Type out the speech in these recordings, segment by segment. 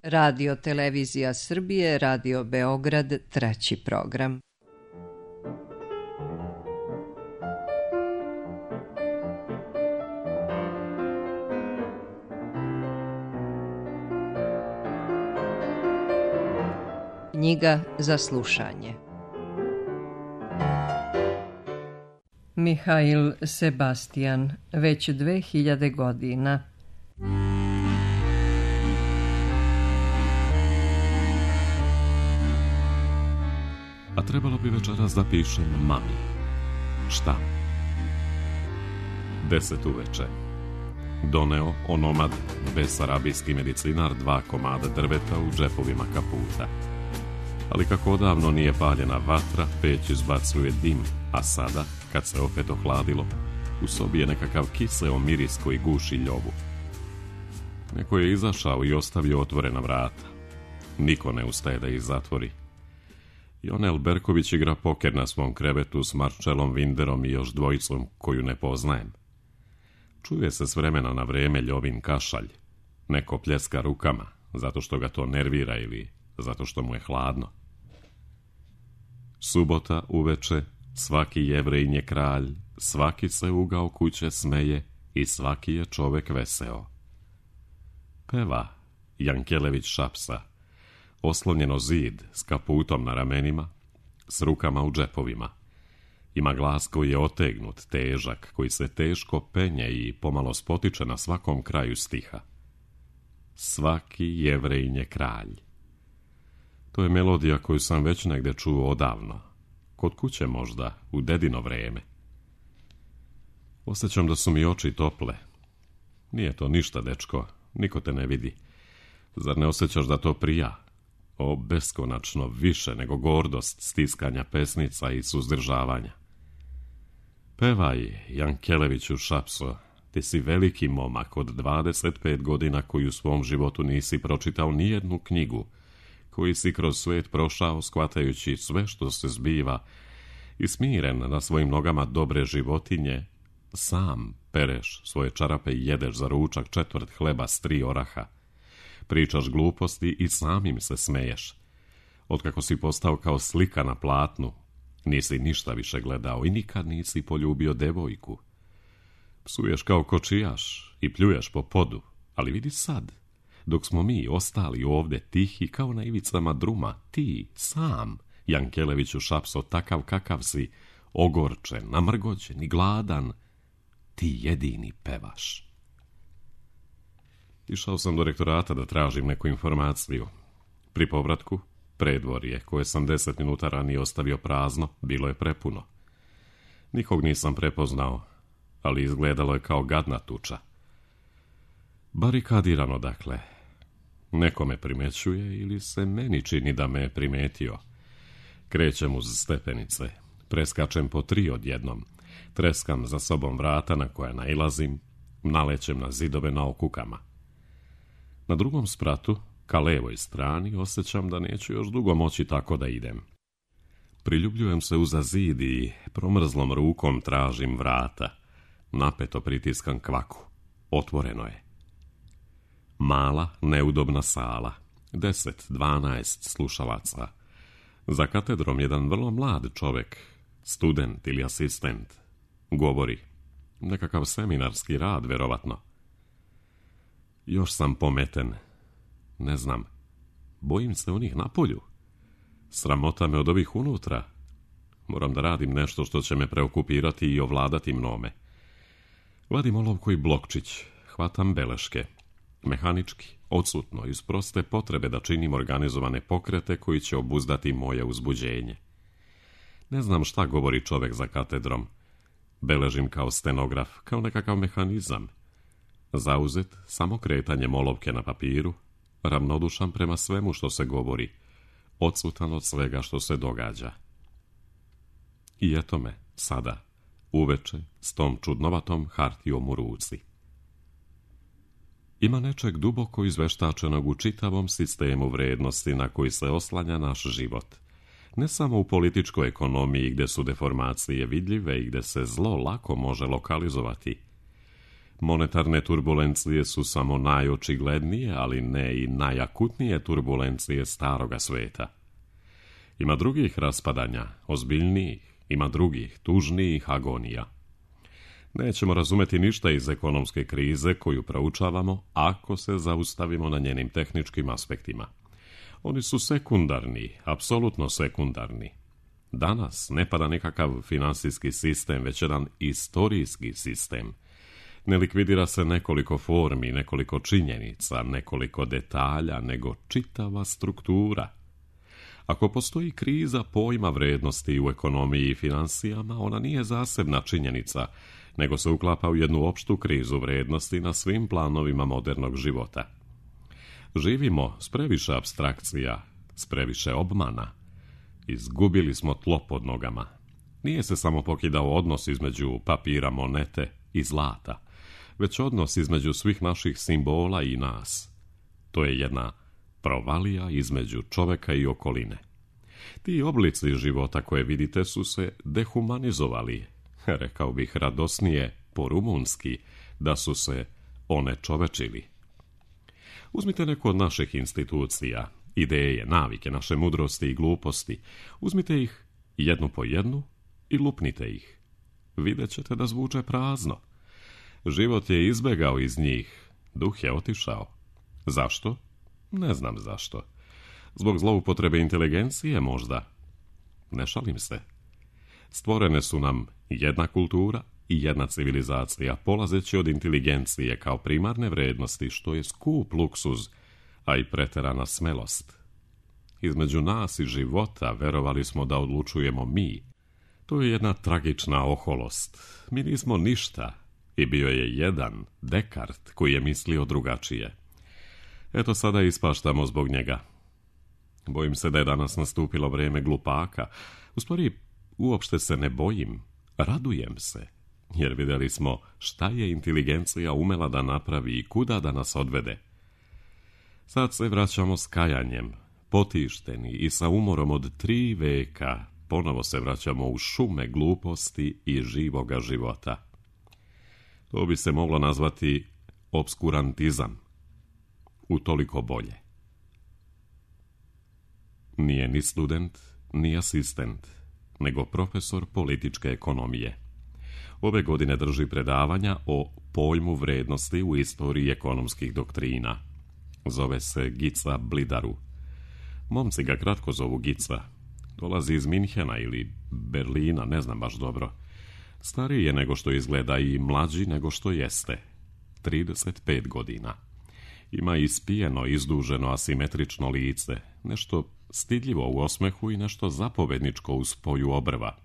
Radio Televizija Srbije, Radio Beograd, treći program. Knjiga za slušanje. Mihail Sebastian, već 2000 godina. A trebalo bi večeras da pišem mami. Šta? 10 uveče. Doneo onomad, besarabijski medicinar, 2 komada drveta u džepovima kaputa. Ali kako odavno nije paljena vatra, peć izbacuje dim, a sada, kad se opet ohladilo, u sobi je nekakav kiseo miris koji guši ljovu. Neko je izašao i ostavio otvorena vrata. Niko ne ustaje da ih zatvori. Jonel Berković igra poker na svom krevetu s Marčelom Vinderom i još dvojicom koju ne poznajem. Čuje se s vremena na vreme ljovin kašalj. Neko pljeska rukama, zato što ga to nervira ili zato što mu je hladno. Subota uveče, svaki Jevrejin je kralj, svaki se ugao kuće smeje i svaki je čovek veseo. Peva Jankelević Šapsa, oslonjeno zid s kaputom na ramenima, s rukama u džepovima. Ima glas koji je otegnut, težak, koji se teško penje i pomalo spotiče na svakom kraju stiha. Svaki Jevrejin je kralj. To je melodija koju sam već negde čuo odavno. Kod kuće možda, u dedino vreme. Osjećam da su mi oči tople. Nije to ništa, dečko, niko te ne vidi. Zar ne osjećaš da to prija? O, beskonačno više nego gordost stiskanja pesnica i suzdržavanja. Pevaj, Jankeleviću Šapso, ti si veliki momak od 25 godina koji u svom životu nisi pročitao nijednu knjigu, koji si kroz svijet prošao shvatajući sve što se zbiva i smiren na svojim nogama dobre životinje, sam pereš svoje čarape i jedeš za ručak 1/4 hleba s 3 oraha. Pričaš gluposti i samim se smeješ. Otkako si postao kao slika na platnu, nisi ništa više gledao i nikad nisi poljubio devojku. Psuješ kao kočijaš i pljuješ po podu, ali vidi sad, dok smo mi ostali ovdje tihi kao na ivicama druma, ti, sam, Jankeleviću Šapso, takav kakav si, ogorčen, namrgođen i gladan, ti jedini pevaš. Išao sam do rektorata da tražim neku informaciju. Pri povratku, predvorje, koje sam 10 minuta ranije ostavio prazno, bilo je prepuno. Nikog nisam prepoznao, ali izgledalo je kao gadna tuča. Barikadirano, dakle. Neko me primećuje ili se meni čini da me je primetio. Krećem uz stepenice, preskačem po 3 odjednom, treskam za sobom vrata na koja nailazim, nalećem na zidove na okukama. Na drugom spratu, ka levoj strani, osjećam da neću još dugo moći tako da idem. Priljubljujem se uza zid i promrzlom rukom tražim vrata. Napeto pritiskam kvaku. Otvoreno je. Mala, neudobna sala. 10-12 slušalaca. Za katedrom jedan vrlo mlad čovek, student ili asistent. Govori. Nekakav seminarski rad, verovatno. Još sam pometen. Ne znam. Bojim se onih napolju. Sramota me od ovih unutra. Moram da radim nešto što će me preokupirati i ovladati mnome. Vadim olovku i blokčić. Hvatam beleške. Mehanički, odsutno, iz proste potrebe da činim organizovane pokrete koji će obuzdati moje uzbuđenje. Ne znam šta govori čovek za katedrom. Beležim kao stenograf, kao nekakav mehanizam. Zauzet samo kretanjem olovke na papiru, ravnodušan prema svemu što se govori, odsutan od svega što se događa. I eto me, sada, uveče, s tom čudnovatom hartijom u ruci. Ima nečeg duboko izveštačenog u čitavom sistemu vrednosti na koji se oslanja naš život. Ne samo u političkoj ekonomiji gdje su deformacije vidljive i gdje se zlo lako može lokalizovati. Monetarne turbulencije su samo najočiglednije, ali ne i najakutnije turbulencije staroga sveta. Ima drugih raspadanja, ozbiljnijih, ima drugih, tužnijih agonija. Nećemo razumeti ništa iz ekonomske krize koju proučavamo ako se zaustavimo na njenim tehničkim aspektima. Oni su sekundarni, apsolutno sekundarni. Danas ne pada nekakav finansijski sistem, već jedan istorijski sistem. Ne likvidira se nekoliko formi, nekoliko činjenica, nekoliko detalja, nego čitava struktura. Ako postoji kriza pojma vrijednosti u ekonomiji i financijama, ona nije zasebna činjenica, nego se uklapa u jednu opštu krizu vrijednosti na svim planovima modernog života. Živimo s previše apstrakcija, s previše obmana. Izgubili smo tlo pod nogama. Nije se samo pokidao odnos između papira, monete i zlata, već odnos između svih naših simbola i nas. To je jedna provalija između čoveka i okoline. Ti oblici života koje vidite su se dehumanizovali, rekao bih radosnije po rumunski, da su se onečovečili. Uzmite neku od naših institucija, ideje, navike, naše mudrosti i gluposti, uzmite ih jednu po jednu i lupnite ih. Vidjet ćete da zvuče prazno. Život je izbegao iz njih, duh je otišao. Zašto? Ne znam zašto. Zbog zloupotrebe inteligencije možda. Ne šalim se. Stvorene su nam jedna kultura i jedna civilizacija, polazeći od inteligencije kao primarne vrednosti, što je skup luksuz, a i preterana smelost. Između nas i života verovali smo da odlučujemo mi. To je jedna tragična oholost. Mi nismo ništa i bio je jedan, Dekart, koji je mislio drugačije. Eto sada ispaštamo zbog njega. Bojim se da je danas nastupilo vrijeme glupaka. U stvari, uopšte se ne bojim, radujem se, jer vidjeli smo šta je inteligencija umela da napravi i kuda da nas odvede. Sad se vraćamo s kajanjem, potišteni i sa umorom od 3 veka, ponovo se vraćamo u šume gluposti i živoga života. To bi se moglo nazvati obskurantizam. Utoliko bolje. Nije ni student, ni asistent, nego profesor političke ekonomije. Ove godine drži predavanja o pojmu vrednosti u istoriji ekonomskih doktrina. Zove se Gica Blidaru. Momci ga kratko zovu Gica. Dolazi iz Minhena ili Berlina, ne znam baš dobro. Stariji je nego što izgleda i mlađi nego što jeste. 35 godina. Ima ispijeno, izduženo, asimetrično lice, nešto stidljivo u osmehu i nešto zapovedničko u spoju obrva.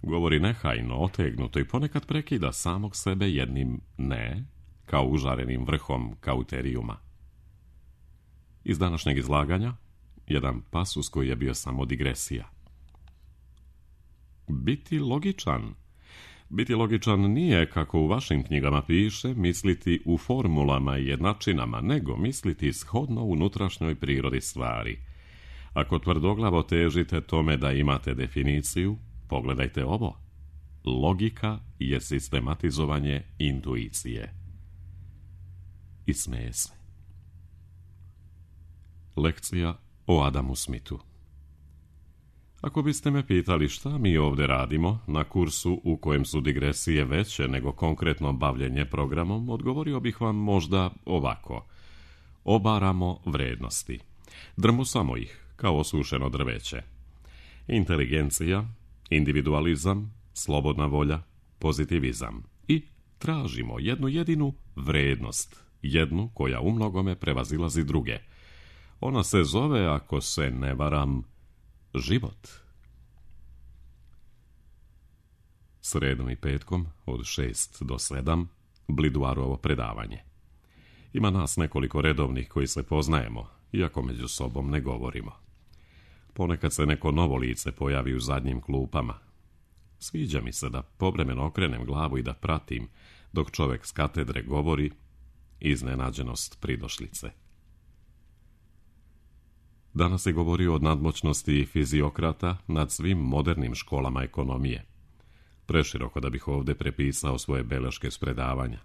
Govori nehajno, otegnuto i ponekad prekida samog sebe jednim ne, kao užarenim vrhom kauterijuma. Iz današnjeg izlaganja, jedan pasus koji je bio samo digresija. Biti logičan. Biti logičan nije, kako u vašim knjigama piše, misliti u formulama i jednačinama, nego misliti shodno unutrašnjoj prirodi stvari. Ako tvrdoglavo težite tome da imate definiciju, pogledajte ovo. Logika je sistematizovanje intuicije. I smeje se. Lekcija o Adamu Smithu. Ako biste me pitali šta mi ovdje radimo na kursu u kojem su digresije veće nego konkretno bavljenje programom, odgovorio bih vam možda ovako. Obaramo vrednosti. Drmusamo ih kao osušeno drveće. Inteligencija, individualizam, slobodna volja, pozitivizam. I tražimo jednu jedinu vrednost, jednu koja u mnogome prevazilazi druge. Ona se zove, ako se ne varam, život. Sredom i petkom od 6 do 7 Blidarovo predavanje. Ima nas nekoliko redovnih koji se poznajemo, iako među sobom ne govorimo. Ponekad se neko novo lice pojavi u zadnjim klupama. Sviđa mi se da povremeno okrenem glavu i da pratim, dok čovjek s katedre govori, iznenađenost pridošlice. Danas je govorio o nadmoćnosti fiziokrata nad svim modernim školama ekonomije. Preširoko da bih ovdje prepisao svoje beleške s predavanja.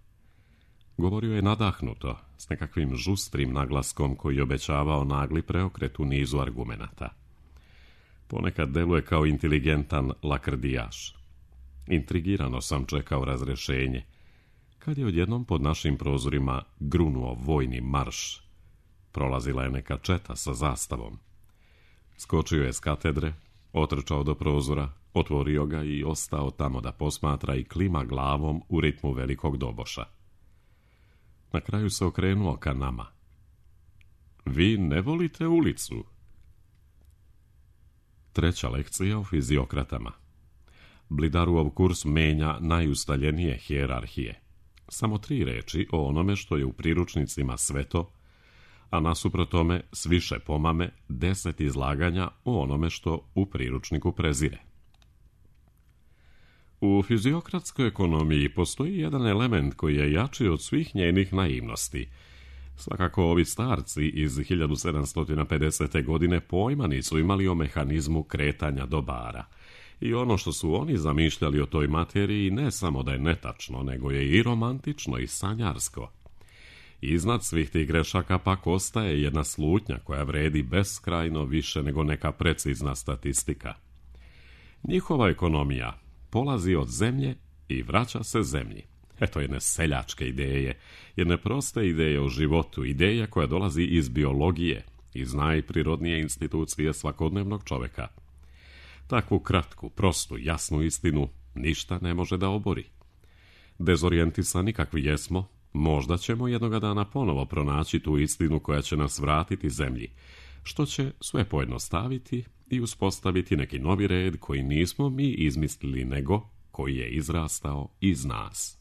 Govorio je nadahnuto, s nekakvim žustrim naglaskom koji obećavao nagli preokret u nizu argumenata. Ponekad deluje kao inteligentan lakrdijaš. Intrigirano sam čekao razrešenje, kad je odjednom pod našim prozorima grunuo vojni marš. Prolazila je neka četa sa zastavom. Skočio je s katedre, otrčao do prozora, otvorio ga i ostao tamo da posmatra i klima glavom u ritmu velikog doboša. Na kraju se okrenuo ka nama. Vi ne volite ulicu? Treća lekcija o fiziokratama. Blidaruov kurs menja najustaljenije hijerarhije. Samo 3 reči o onome što je u priručnicima sveto, a nasuprot tome s više pomame 10 izlaganja o onome što u priručniku prezire. U fiziokratskoj ekonomiji postoji jedan element koji je jači od svih njenih naivnosti. Svakako ovi starci iz 1750. godine pojma nisu imali o mehanizmu kretanja dobara. I ono što su oni zamišljali o toj materiji ne samo da je netačno, nego je i romantično i sanjarsko. Iznad svih tih grešaka pak ostaje jedna slutnja koja vredi beskrajno više nego neka precizna statistika. Njihova ekonomija polazi od zemlje i vraća se zemlji. Eto jedne seljačke ideje, jedne proste ideje o životu, ideja koja dolazi iz biologije, iz najprirodnije institucije svakodnevnog čoveka. Takvu kratku, prostu, jasnu istinu ništa ne može da obori. Dezorijentisani kakvi jesmo, možda ćemo jednoga dana ponovo pronaći tu istinu koja će nas vratiti zemlji, što će sve pojednostaviti i uspostaviti neki novi red koji nismo mi izmislili, nego koji je izrastao iz nas.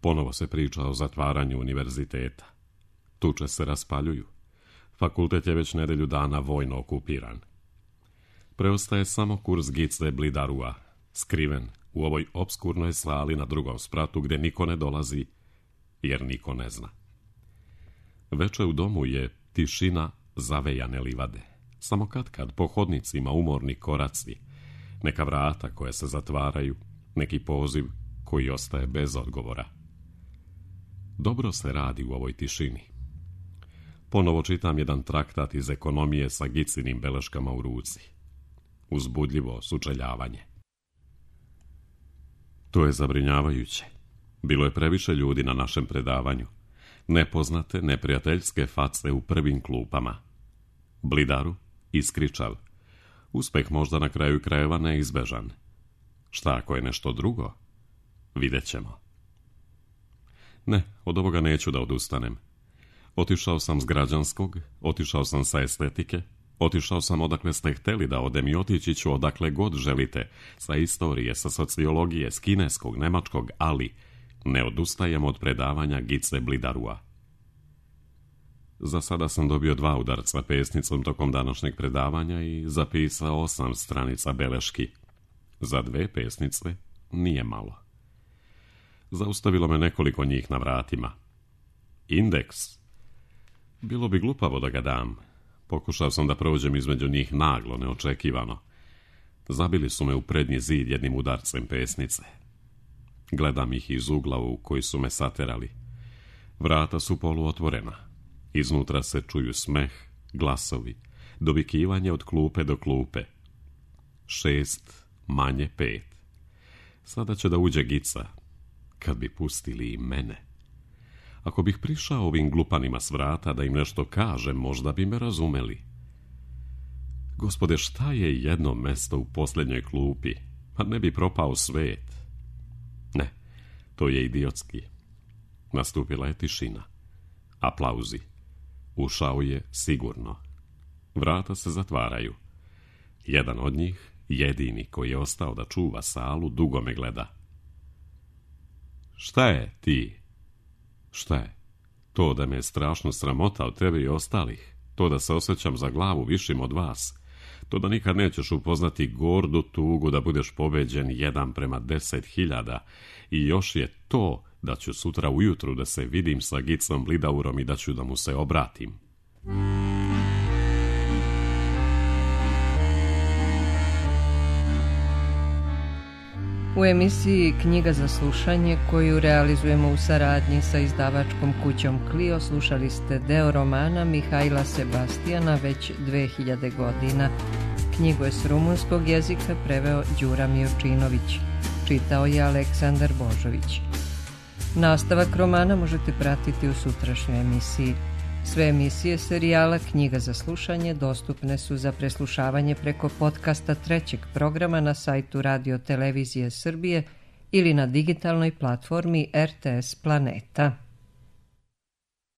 Ponovo se priča o zatvaranju univerziteta. Tuče se raspaljuju. Fakultet je već nedelju dana vojno okupiran. Preostaje samo kurs Gice Blidarua, skriven u ovoj opskurnoj sali na drugom spratu gdje niko ne dolazi, jer niko ne zna. Veče u domu je tišina zavejane livade. Samo katkad po hodnicima umorni koraci, neka vrata koja se zatvaraju, neki poziv koji ostaje bez odgovora. Dobro se radi u ovoj tišini. Ponovo čitam jedan traktat iz ekonomije sa Gicinim beleškama u ruci. Uzbudljivo sučeljavanje. To je zabrinjavajuće. Bilo je previše ljudi na našem predavanju. Nepoznate, neprijateljske face u prvim klupama. Blidaru, iskričav. Uspeh možda na kraju krajeva neizbežan. Šta ako je nešto drugo? Vidjet ćemo. Ne, od ovoga neću da odustanem. Otišao sam s građanskog, otišao sam sa estetike, otišao sam odakle ste hteli da odem i otići ću odakle god želite, sa istorije, sa sociologije, s kineskog, nemačkog, ali ne odustajem od predavanja Gice Blidarua. Za sada sam dobio 2 udarca pesnicom tokom današnjeg predavanja i zapisao 8 stranica beleški. Za 2 pesnice nije malo. Zaustavilo me nekoliko njih na vratima. Indeks. Bilo bi glupavo da ga dam. Pokušao sam da prođem između njih naglo, neočekivano. Zabili su me u prednji zid jednim udarcem pesnice. Gledam ih iz ugla u koji su me saterali. Vrata su poluotvorena. Iznutra se čuju smeh, glasovi, dovikivanje od klupe do klupe. 6 manje 5. Sada će da uđe Gica. Kad bi pustili i mene. Ako bih prišao ovim glupanima s vrata da im nešto kažem, možda bi me razumeli. Gospode, šta je jedno mesto u posljednjoj klupi? Pa ne bi propao svet. Ne, to je idiotski. Nastupila je tišina. Aplauzi. Ušao je sigurno. Vrata se zatvaraju. Jedan od njih, jedini koji je ostao da čuva salu, dugo me gleda. Šta je ti? Šta je? To da me je strašno sramota od tebe i ostalih. To da se osjećam za glavu višim od vas. To da nikad nećeš upoznati gordu tugu da budeš pobeđen 1:10.000. I još je to da ću sutra ujutru da se vidim sa Gicom Blidaurom i da ću da mu se obratim. U emisiji Knjiga za slušanje, koju realizujemo u saradnji sa izdavačkom kućom Clio, slušali ste deo romana Mihajla Sebastijana Već 2000 godina. Knjigu je s rumunskog jezika preveo Đura Miočinović. Čitao je Aleksandar Božović. Nastavak romana možete pratiti u sutrašnjoj emisiji. Sve emisije serijala Knjiga za slušanje dostupne su za preslušavanje preko podcasta trećeg programa na sajtu Radio Televizije Srbije ili na digitalnoj platformi RTS Planeta.